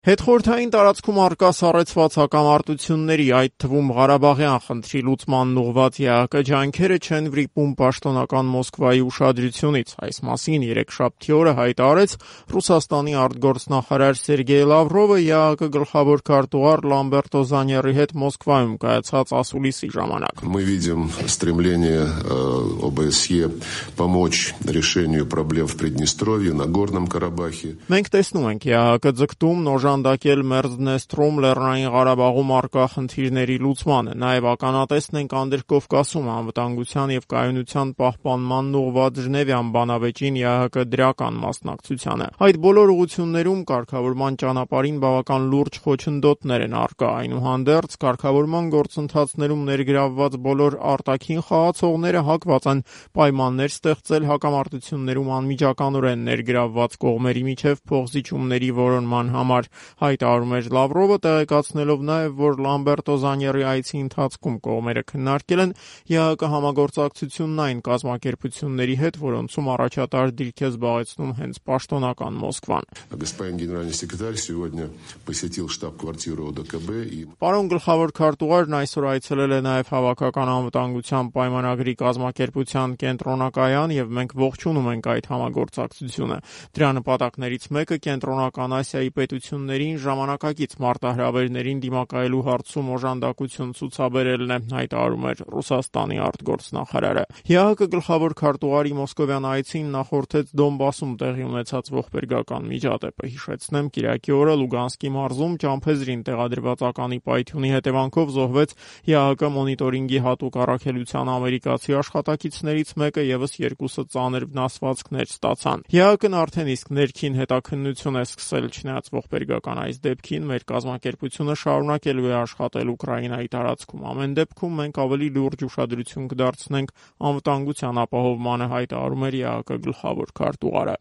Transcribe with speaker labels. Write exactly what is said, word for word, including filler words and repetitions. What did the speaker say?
Speaker 1: Հետխորհրդային տարածքում առկա սառեցված հակամարտությունների, այդ թվում Ղարաբաղյան խնդրի լուծմանն ուղղված ԵԱՀԿ ջանքերը չեն վրիպում պաշտոնական Մոսկվայի ուշադրությունից։ Այս մասին երեքշաբթի օրը հայտարարեց Ռուսաստանի արտգործնախարար Սերգեյ Լավրովը ԵԱՀԿ գլխավոր քարտուղար Լամբերտո Զանյարի հետ Մոսկվայում կայացած ասուլիսի ժամանակ։
Speaker 2: Мы видим стремление ОБСЕ помочь решению проблем в Приднестровье, Нагорном Карабахе.
Speaker 1: Մենք տեսնում ենք ԵԱՀԿ ձգտում օժանդակել Մերձդնեստրում Լեռնային Ղարաբաղում առկա խնդիրների լուծմանը, նաև ականատեսն ենք Անդրկովկասում անվտանգության եւ կայունության պահպանմանն ուղղված Ժնևյան բանավեճին ԵԱՀԿ դրական մասնակցությանը։ Այդ բոլոր ուղղություններում կարգավորման ճանապարհին բավական լուրջ խոչընդոտներ են առկա, այնուհանդերձ կարգավորման գործընթացներում ներգրավված բոլոր արտաքին խաղացողները հակված են պայմաններ ստեղծել հակամարտություններում անմիջականորեն ներգրավված կողմերի միջև փոխզիջումների որոնման համար, հայտարարում էր Լավրովը, տեղեկացնելով նաև, որ Լամբերտո Զանյարի այցի ընթացքում կողմերը քննարկել են ԵԱՀԿ համագործակցությունն այն կազմակերպությունների հետ, որոնցում առաջատար դիրք է զբաղեցնում հենց պաշտոնական Մոսկվան։
Speaker 2: Господин генеральный секретарь сегодня посетил штаб-квартиру ОДКБ и
Speaker 1: Պարոն գլխավոր քարտուղարն այսօր այցելել է նաև Հավաքական անվտանգության պայմանագրի կազմակերպության կենտրոնակայան եւ մենք ողջունում ենք այդ համագործակցությունը։ Դրա նպատակներից մեկը կենտրոնական Ասիայի պետություններին ժամանակակից մարտահրավերներին դիմակայելու հարցում օժանդակություն ցուցաբերելն է, հայտարարում էր Ռուսաստանի արտգործնախարարը։ ԵԱՀԿ գլխավոր քարտուղարի մոսկովյան այցին նախորդեց Դոնբասում տեղի ունեցած ողբերգական միջադեպը։ Հիշեցնեմ, կիրակի օրը Լուգանսկի մարզում Ճամփեզրին տեղադրված ականի պայթյունի հետևանքով զոհվեց ԵԱՀԿ մոնիտորինգի հատուկ առաքելության ամերիկացի աշխատակիցներից մեկը, եւս երկուսը ծանր վնասվածքներ ստացան։ ԵԱՀԿ-ն արդեն իսկ ներքին հետաքննություն է սկսել, չնայած ողբերգական այս դեպքին մեր կազմակերպությունը շարունակելու է աշխատել Ուկրաինայի տարածքում։ Ամեն դեպքում մենք ավելի լուրջ ուշադրություն կդարձնենք անվտանգության ապահովմանը, հայտարարում էր ԵԱՀԿ գլխավոր քարտուղարը։